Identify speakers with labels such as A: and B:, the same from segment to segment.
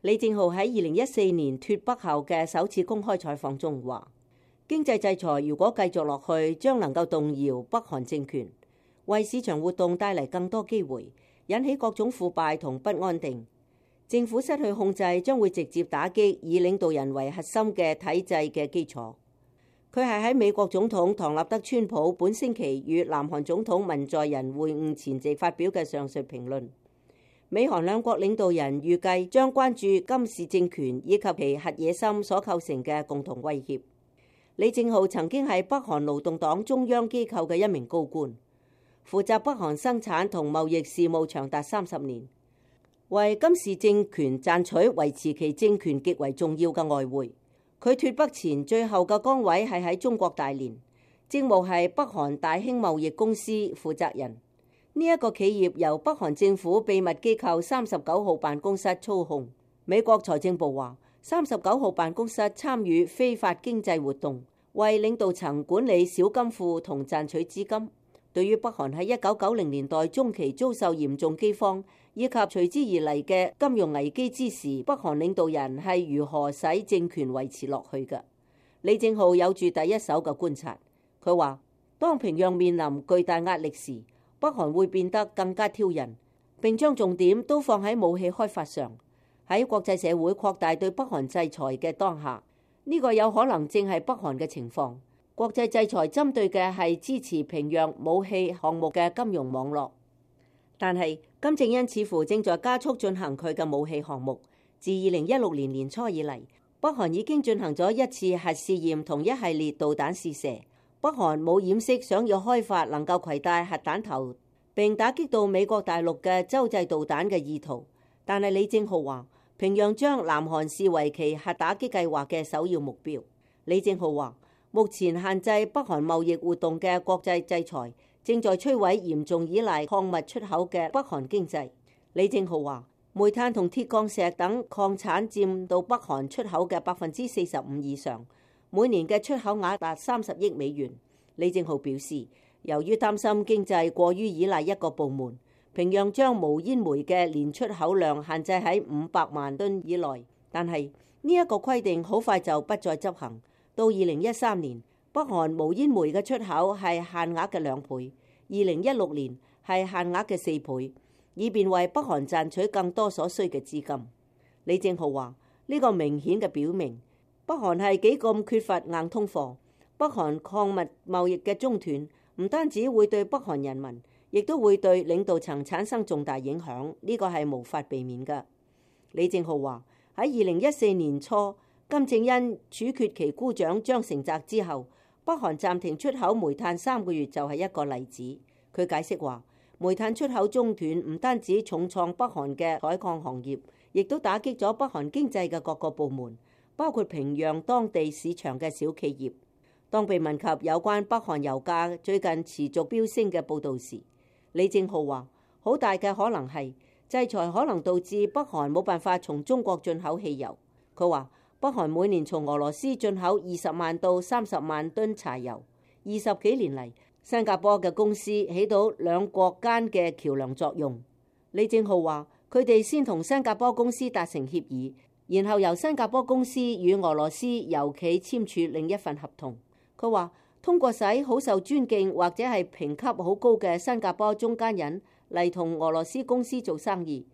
A: 李正浩喺2014年脫北後嘅首次公開採訪中話，經濟制裁如果繼續落去，將能夠動搖北韓政權，為市場活動帶嚟更多機會，引起各種腐敗同不安定。政府失去控制，將會直接打擊以領導人為核心嘅體制嘅基礎。佢係喺美國總統唐納德川普本星期與南韓總統文在寅會晤前夕發表嘅上述評論。美韓兩國領導人預計將關注金氏政權以及其核野心所構成嘅共同威脅。李正浩曾經係北韓勞動黨中央機構嘅一名高官，負責北韓生產同貿易事務長達30年。為金氏政權賺取維持其政權極為重要嘅外匯。佢脫北前最後嘅崗位係喺中國大連，職務係北韓大興貿易公司負責人。呢一個企業由北韓政府秘密機構39號辦公室操控。美國財政部話，39號辦公室參與非法經濟活動，為領導層管理小金庫同賺取資金。對於北韓喺1990年代中期遭受嚴重饑荒，以及隨之而嚟嘅金融危機之時，北韓領導人係如何使政權維持落去嘅？李正浩有住第一手嘅觀察。佢話，當平壤面臨巨大壓力時，北韓會變得更加挑釁，並將重點都放喺武器開發上。喺國際社會擴大對北韓制裁嘅當下，呢個有可能正係北韓嘅情況。國際制裁針對嘅係支持平壤武器項目嘅金融網絡，但係金正恩似乎正在加速進行佢嘅武器項目。自2016年年初以嚟，北韓已經進行咗一次核試驗同一系列導彈試射。北韓冇掩飾想要開發能夠攜帶核彈頭並打擊到美國大陸嘅洲際導彈嘅意圖，但係李正浩話，平壤將南韓視為其核打擊計劃嘅首要目標。李正浩話，目前限制北韓貿易活動嘅國際制裁正在摧毀嚴重依賴礦物出口嘅北韓經濟。李正浩話，煤炭同鐵礦石等礦產佔到北韓出口嘅45%以上，每年嘅出口額達30億美元。李正浩表示，由於擔心經濟過於依賴一個部門，平壤將無煙煤嘅年出口量限制喺500萬噸以內，但係呢一個規定好快就不再執行。到2013年，北韓無煙煤嘅出口係限額嘅2倍，2016年係限額嘅4倍，以便為北韓賺取更多所需嘅資金。李正浩話，呢個明顯嘅表明北韓係幾咁缺乏硬通貨。北韓礦物貿易嘅中斷唔單止會對北韓人民，亦都會對領導層產生重大影響，呢個係無法避免嘅。李正浩話，喺2014年初，金正恩處決其姑丈張成澤之後，北韓暫停出口煤炭3個月就係一個例子。佢解釋話，煤炭出口中斷唔單止重創北韓嘅採礦行業，亦都打擊咗北韓經濟嘅各個部門，包括平壤當地市場嘅小企業。當被問及有關北韓油價最近持續飆升嘅報導時，李正浩話，好大嘅可能係制裁可能導致北韓冇辦法從中國進口汽油。佢話，北韓每年從俄羅斯進口20萬到30萬噸柴油。20幾年嚟，新加坡嘅公司起到兩國間嘅橋梁作用。李正浩話，佢哋先同新加坡公司達成協議，然後由新加坡公司與俄羅斯油企簽署另一份合同。佢話，通過使好受尊敬或者係評級好高嘅新加坡中間人嚟同俄羅斯公司做生意，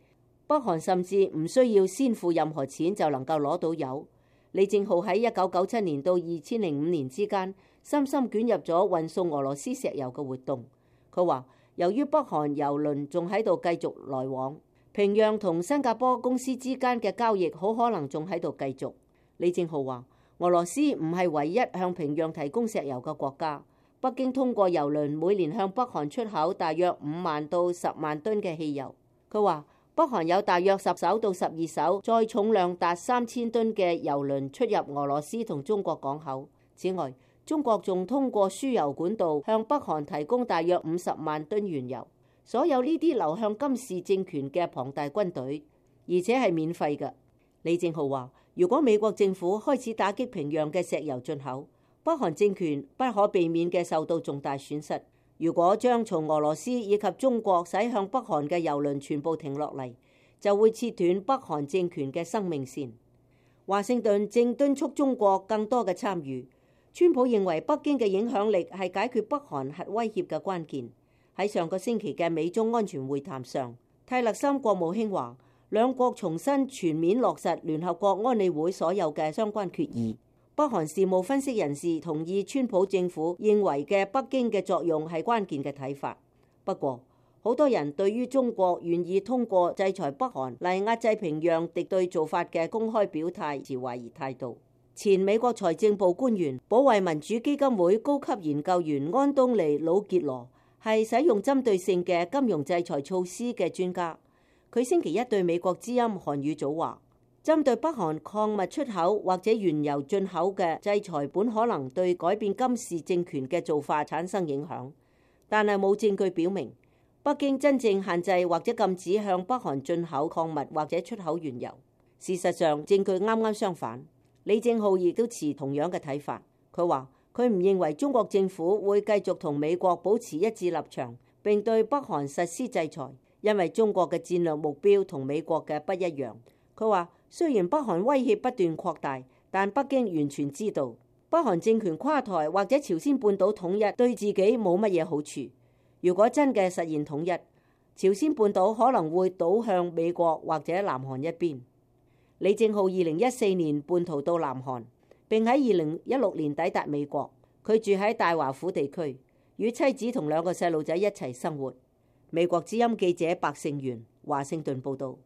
A: 北韓甚至唔需要先付任何錢就能夠攞到油。李正浩喺1997年到2005年之間，深深捲入咗運送俄羅斯石油嘅活動。佢話，由於北韓油輪仲喺度繼續來往，平壤同新加坡公司之間嘅交易好可能仲喺度繼續。李正浩話，俄羅斯唔係唯一向平壤提供石油嘅國家。北京通過油輪每年向北韓出口大約5萬到10萬噸嘅汽油。佢話，北韓有大約10艘到12艘載重量達3000噸嘅油輪出入俄羅斯同中國港口。此外，中國仲通過輸油管道向北韓提供大約50萬噸原油。所有呢啲流向金氏政權嘅龐大軍隊，而且係免費嘅。李正浩話，如果美國政府開始打擊平壤嘅石油進口，北韓政權不可避免嘅受到重大損失。如果將從俄羅斯以及中國駛向北韓嘅油輪全部停落嚟，就會切斷北韓政權嘅生命線。華盛頓正敦促中國更多嘅參與。川普認為北京嘅影響力係解決北韓核威脅嘅關鍵。喺上個星期嘅美中安全會談上，泰勒森國務卿話，兩國重新全面落實聯合國安理會所有嘅相關決議。北韓事務分析人士同意川普政府認為嘅北京嘅作用係關鍵嘅睇法。不過，好多人對於中國願意通過制裁北韓嚟壓制平壤敵對做法嘅公開表態持懷疑態度。前美國財政部官員、保衛民主基金會高級研究員安東尼·魯傑羅係使用針對性嘅金融制裁措施嘅專家。佢星期一對美國之音韓語組話，針對北韓礦物出口或者原油進口嘅制裁本可能對改變金氏政權嘅做法產生影響，但係冇證據表明北京真正限制或者禁止向北韓進口礦物或者出口原油。事實上，證據啱啱相反。李正浩亦都持同樣嘅睇法。佢話佢唔認為中國政府會繼續同美國保持一致立場，並對北韓實施制裁，因為中國嘅戰略目標同美國嘅不一樣。佢話雖然北韓威脅不斷擴大，但北京完全知道北韓政權垮台或者朝鮮半島統一對自己冇乜嘢好處。如果真嘅實現統一，朝鮮半島可能會倒向美國或者南韓一邊。李正浩2014年叛逃到南韓，並喺2016年抵達美國。佢住喺大華府地區，與妻子同2個細路仔一齊生活。美國之音記者白勝元華盛頓報道。